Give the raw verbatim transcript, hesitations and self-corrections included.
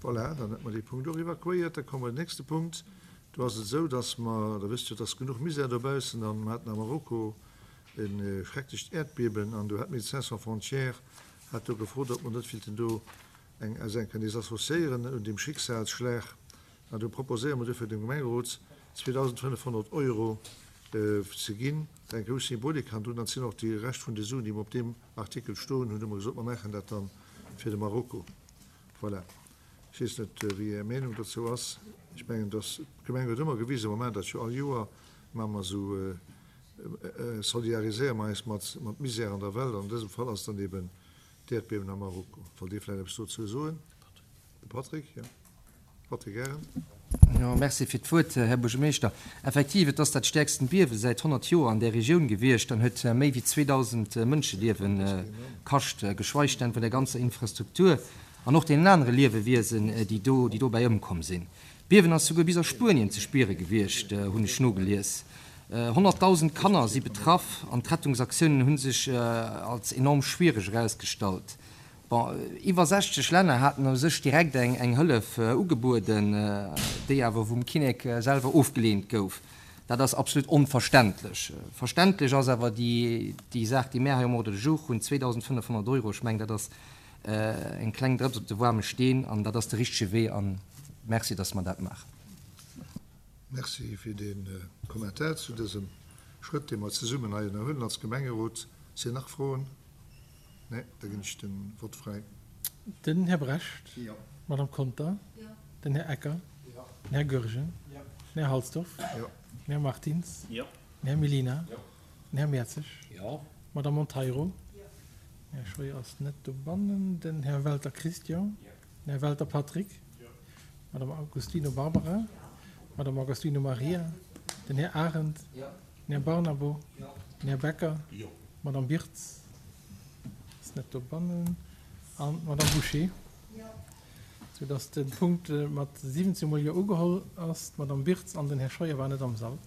Voilà, dann hätte mer dee Punkt och evakuéiert. Da komme mer den nächste Punkt. Do ass et esou, dass mer, Der wësst jo, et ass genuch Misär dobaussen, an mer haten a Marokko e schrecklecht Äerdbiewen an do hat Médecins sans frontières hat do gefrot, ob mer net wéilten do eng eis eng kënnen associéieren un deem Schicksalsschlag. An do proposéiere mer dofir dem Gemengerot zweedausendfënnefhonnert Euro ze ginn. Eng grouss Symbolik hannendrun. An et sinn och déi Rescht vun de Suen, déi mer op deem Artikel stoen hunn, hu mer gesot, mer maachen dat dann fir de Marokko. Voilà. Ech weess net, wéi Är Meenung dozou ass. Ech mengen, dass d'Gemeng huet ëmmer gewisen, mer maachen dat jo all Joer, maache mer esou, solidariséiere mer eis mat mat Misär an der Welt. An dësem Fall ass dann eben d'Äerdbiewen am Marokko. Wollt Dir vläicht eppes dozou soen? De Patrick, jo. Patrick Arendt. Jo, merci fir d'Wuert, Här Buergermeeschter. Effektiv, et ass dat stäerksten Biewe säit honnert Joer an där Regioun gewiescht an huet méi wéi zweedausend Mënscheliewe kascht, geschweig denn vun der ganzer Infrastruktur an och deenen anere Liewewiesen, déi do, déi dobäi ëmkomm sinn. D'Biewen ass souguer bis a Spuenien ze spiere gewiescht, hunn ech nogelies. Honnertdausend Kanner si betraff an d'Rettungsaktiounen hu sech als enorm schwiereg erausgestallt. Bon, iwwer sechzeg Länner haten u sech direkt eng eng Hëllef ugebueden, déi awer vum Kinnek selwer ofgeleent gouf. Dat ass absolut onverständlech. Verständlech ass awer déi déi Saach, déi mär hei um Ordre du jour hunn, zweedausendfënnefhonnert Euro. Ech mengen, dat ass eng kleng Drëps op de waarme Steen an dat ass de richtege Wee. A merci, dass mer dat maachen. Merci fir dee Kommentar zu dësem Schrëtt, dee mer zesummen hei ënnerhuelen als Gemengerot. Sinn nach Froen? Nee, da ginn ech de Vott fräi. Den Här Brecht. Jo. D'Madame Conter. Jo. Den Här Ecker. Jo. Den Här Goergen. Jo. Den Här Halsdorf. Jo. Den Här Martins. Jo. Den Här Mellina. Jo. Den Här Mertzig. Jo. D'Madame Monteiro. Jo. Den Här Scheuer ass net dobannen. Den Här Welter Christian. Jo. Den Här Welter Patrick. Jo. D'Madame Agostino Barbara. Jo. D'Madame Agostino Maria. Den Här Arendt. Jo. Den Här Barnabo. Jo. Den Här Becker. Jo. D'Madame Birtz ass net dobannen an d'Madame Bouché. Jo. Soudass de Punkt mat siwwenzéng mol Jo ugeholl ass. D'Madame Birtz an den Här Scheuer waren net am Sall.